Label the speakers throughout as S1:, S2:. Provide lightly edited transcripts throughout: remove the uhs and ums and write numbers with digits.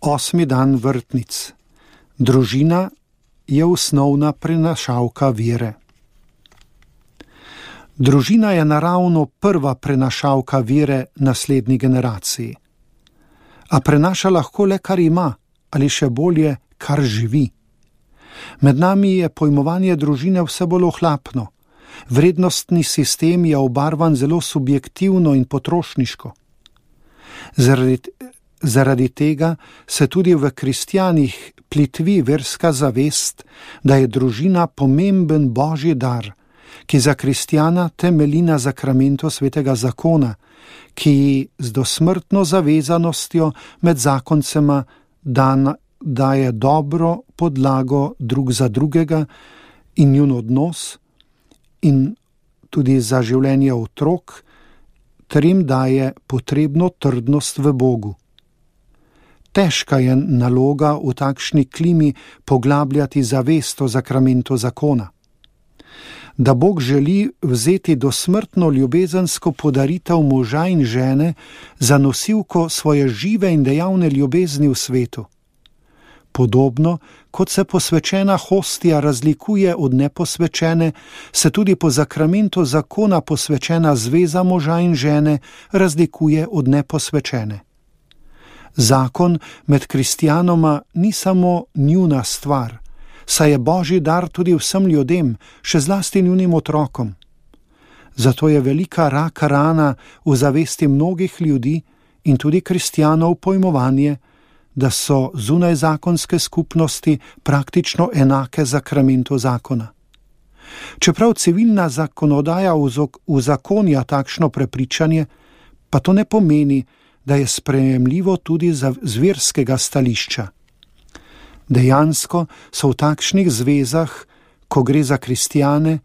S1: 8. dan vrtnic. Družina je osnovna prenašalka vere. Družina je naravno prva prenašalka vere naslednji generaciji. A prenaša lahko le, kar ima, ali še bolje, kar živi. Med nami je pojmovanje družine vse bolj ohlapno. Vrednostni sistem je obarvan zelo subjektivno in potrošniško. Zaradi tega se tudi v kristjanih plitvi verska zavest, da je družina pomemben božji dar, ki za kristjana temelji na zakramentu svetega zakona, ki z dosmrtno zavezanostjo med zakoncema daje dobro podlago drug za drugega in njun odnos in tudi za življenje otrok, ter jim daje potrebno trdnost v Bogu. Težka je naloga v takšni klimi poglabljati zavest o zakramentu zakona. Da Bog želi vzeti dosmrtno ljubezensko podaritev moža in žene za nosilko svoje žive in dejavne ljubezni v svetu. Podobno, kot se posvečena hostija razlikuje od neposvečene, se tudi po zakramentu zakona posvečena zveza moža in žene razlikuje od neposvečene. Zakon med kristjanoma ni samo njuna stvar, saj je božji dar tudi vsem ljudem, še zlasti njunim otrokom. Zato je velika raka rana v zavesti mnogih ljudi in tudi kristjanov pojmovanje, da so zunaj zakonske skupnosti praktično enake zakramentu zakona. Čeprav civilna zakonodaja uzakonja takšno prepričanje, pa to ne pomeni, da je sprejemljivo tudi z verskega stališča. Dejansko so v takšnih zvezah, ko gre za kristjane,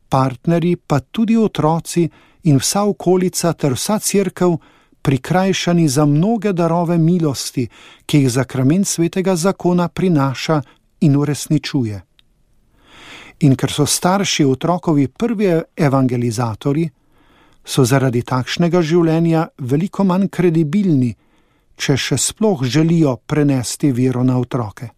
S1: partnerji, pa tudi otroci in vsa okolica ter vsa cerkev prikrajšani za mnoge darove milosti, ki jih zakrament svetega zakona prinaša in uresničuje. In ker so starši otrokovi prvi evangelizatorji, so zaradi takšnega življenja veliko manj kredibilni, če še sploh želijo prenesti vero na otroke.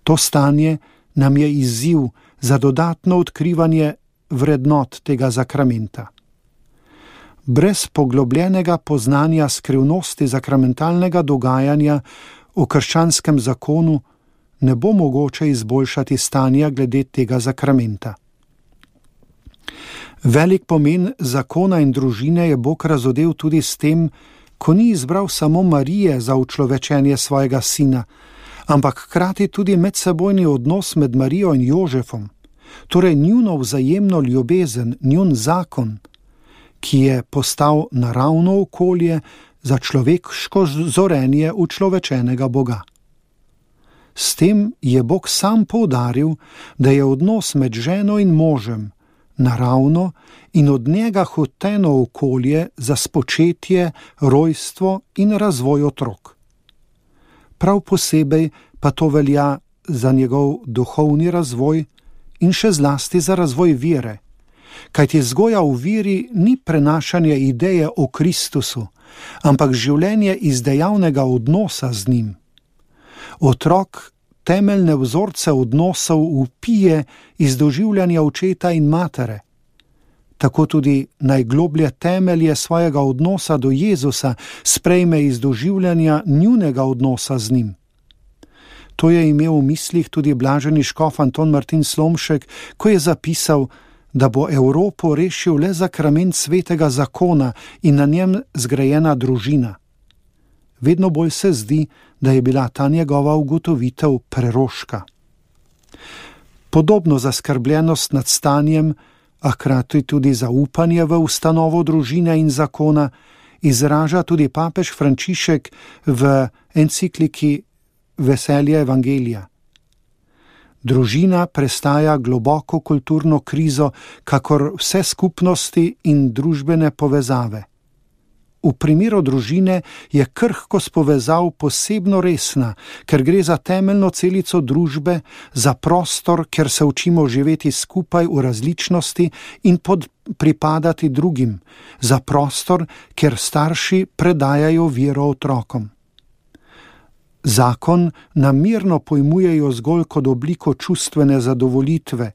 S1: To stanje nam je izziv za dodatno odkrivanje vrednot tega zakramenta. Brez poglobljenega poznanja skrivnosti zakramentalnega dogajanja v krščanskem zakonu ne bo mogoče izboljšati stanja glede tega zakramenta. Velik pomen zakona in družine je Bog razodel tudi s tem, ko ni izbral samo Marije za učlovečenje svojega sina, ampak hkrati tudi medsebojni odnos med Marijo in Jožefom, torej njuno vzajemno ljubezen, njun zakon, ki je postal naravno okolje za človeško zorenje učlovečenega Boga. S tem je Bog sam poudaril, da je odnos med ženo in možem naravno in od njega hoteno okolje za spočetje, rojstvo in razvoj otrok. Prav posebej pa to velja za njegov duhovni razvoj in še zlasti za razvoj vere, kajti vzgoja v veri ni prenašanje ideje o Kristusu, ampak življenje iz dejavnega odnosa z njim. Otrok temeljne vzorce odnosov vpije iz doživljanja očeta in matere. Tako tudi najgloblje temelje svojega odnosa do Jezusa sprejme iz doživljanja njunega odnosa z njim. To je imel v mislih tudi blaženi škof Anton Martin Slomšek, ko je zapisal, da bo Evropo rešil le zakrament svetega zakona in na njem zgrajena družina. Vedno bolj se zdi, da je bila ta njegova ugotovitev preroška. Podobno zaskrbljenost nad stanjem, a hkrati tudi zaupanje v ustanovo družine in zakona, izraža tudi papež Frančišek v encikliki Veselje Evangelija. Družina prestaja globoko kulturno krizo, kakor vse skupnosti in družbene povezave. V primeru družine je krhkost povezav posebno resna, ker gre za temeljno celico družbe, za prostor, kjer se učimo živeti skupaj v različnosti in pripadati drugim, za prostor, kjer starši predajajo vero otrokom. Zakon namerno pojmujejo zgolj kot obliko čustvene zadovolitve,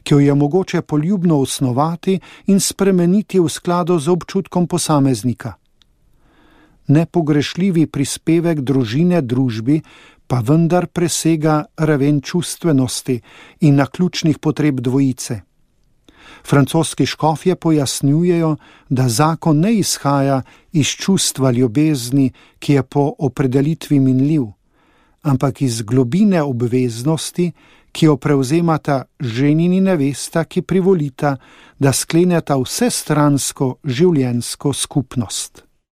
S1: ki jo je mogoče poljubno osnovati in spremeniti v skladu z občutkom posameznika. Nepogrešljivi prispevek družine družbi pa vendar presega raven čustvenosti in naključnih potreb dvojice. Francoski škofje pojasnjujejo, da zakon ne izhaja iz čustva ljubezni, ki je po opredelitvi minljiv, ampak iz globine obveznosti, ki jo prevzemata ženin in nevesta, ki privolita, da skleneta vsestransko življenjsko skupnost.